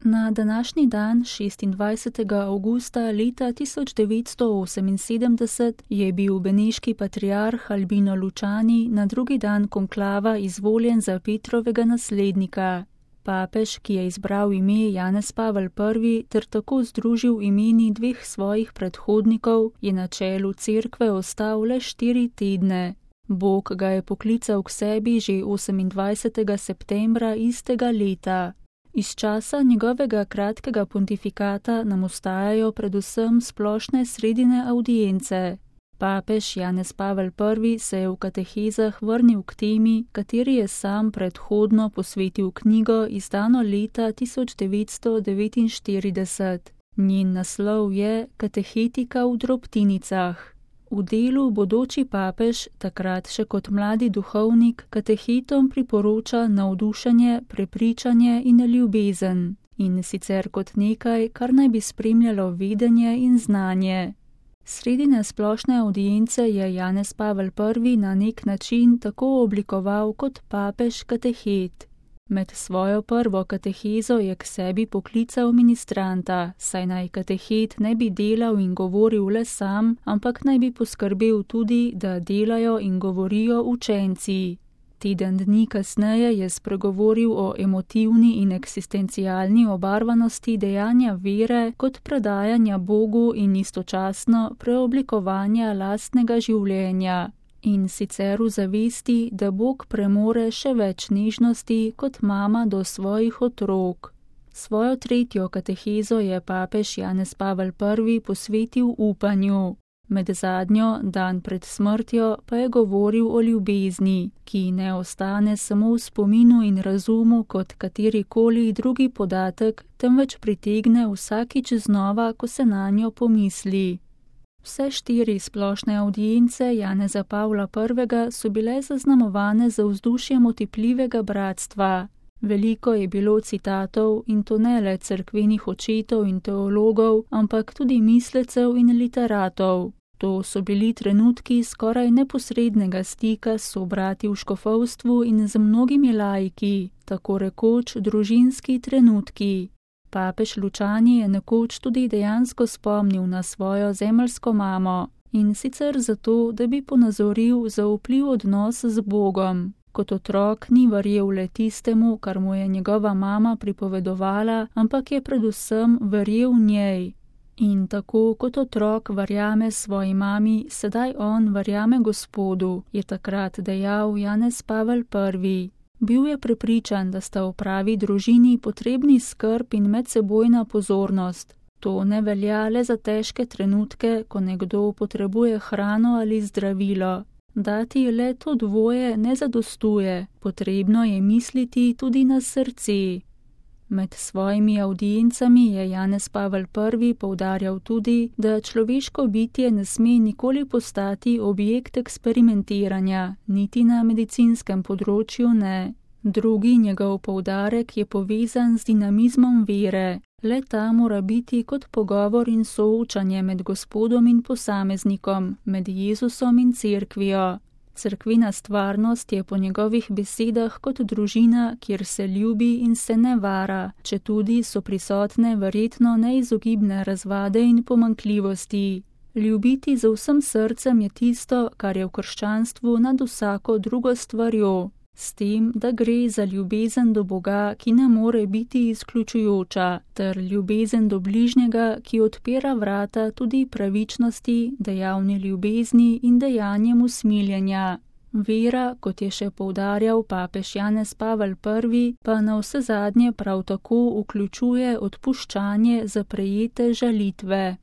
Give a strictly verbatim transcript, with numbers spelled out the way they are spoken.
Na današnji dan, šestindvajsetega avgusta leta tisoč devetsto oseminsedemdeset, je bil beneški patriarh Albino Lučani na drugi dan konklava izvoljen za Petrovega naslednika. Papež, ki je izbral ime Janez Pavel Prvi ter tako združil imeni dveh svojih predhodnikov, je na čelu cerkve ostal le štiri tedne. Bog ga je poklical k sebi že osemindvajsetega septembra istega leta. Iz časa njegovega kratkega pontifikata nam ostajajo predvsem splošne sredine avdience. Papež Janez Pavel Prvi se je v katehezah vrnil k temi, kateri je sam predhodno posvetil knjigo, izdano leta tisoč devetsto devetinštirideset. Njen naslov je Katehetika v drobtinicah. V delu bodoči papež, takrat še kot mladi duhovnik, katehetom priporoča navdušenje, prepričanje in ljubezen, in sicer kot nekaj, kar naj bi spremljalo vedenje in znanje. Sredine splošne avdience je Janez Pavel Prvi na nek način tako oblikoval kot papež katehet. Med svojo prvo katehezo je k sebi poklical ministranta, saj naj katehet ne bi delal in govoril le sam, ampak naj bi poskrbel tudi, da delajo in govorijo učenci. Teden dni kasneje je spregovoril o emotivni in eksistencialni obarvanosti dejanja vere kot predajanja Bogu in istočasno preoblikovanja lastnega življenja. In sicer v zavesti, da Bog premore še več nežnosti kot mama do svojih otrok. Svojo tretjo katehezo je papež Janez Pavel Prvi posvetil upanju. Med zadnjo, dan pred smrtjo, pa je govoril o ljubezni, ki ne ostane samo v spominu in razumu kot katerikoli drugi podatek, temveč pritegne vsakič znova, ko se nanjo pomisli. Vse štiri splošne avdience Janeza Pavla Prvega so bile zaznamovane za vzdušjem otipljivega bratstva. Veliko je bilo citatov, in to ne le cerkvenih očetov in teologov, ampak tudi mislecev in literatov. To so bili trenutki skoraj neposrednega stika s sobrati v škofovstvu in z mnogimi laiki, tako rekoč družinski trenutki. Papež Lučani je nekoč tudi dejansko spomnil na svojo zemeljsko mamo, in sicer zato, da bi ponazoril zaupljiv odnos z Bogom. Kot otrok ni verjel le tistemu, kar mu je njegova mama pripovedovala, ampak je predvsem verjel njej. In tako kot otrok verjame svoji mami, sedaj on verjame Gospodu, je takrat dejal Janez Pavel Prvi. Bil je prepričan, da sta v pravi družini potrebni skrb in medsebojna pozornost. To ne velja le za težke trenutke, ko nekdo potrebuje hrano ali zdravilo. Dati le to dvoje ne zadostuje, potrebno je misliti tudi na srce. Med svojimi avdiencami je Janez Pavel Prvi poudarjal tudi, da človeško bitje ne sme nikoli postati objekt eksperimentiranja, niti na medicinskem področju ne. Drugi njegov poudarek je povezan z dinamizmom vere. Le ta mora biti kot pogovor in soočanje med Gospodom in posameznikom, med Jezusom in cerkvijo. Cerkvena stvarnost je po njegovih besedah kot družina, kjer se ljubi in se ne vara, četudi so prisotne verjetno neizogibne razvade in pomanjkljivosti. Ljubiti z vsem srcem je tisto, kar je v krščanstvu nad vsako drugo stvarjo, s tem, da gre za ljubezen do Boga, ki ne more biti izključujoča, ter ljubezen do bližnjega, ki odpira vrata tudi pravičnosti, dejavni ljubezni in dejanjem usmiljenja. Vera, kot je še poudarjal papež Janez Pavel Prvi, pa navsezadnje prav tako vključuje odpuščanje za prejete žalitve.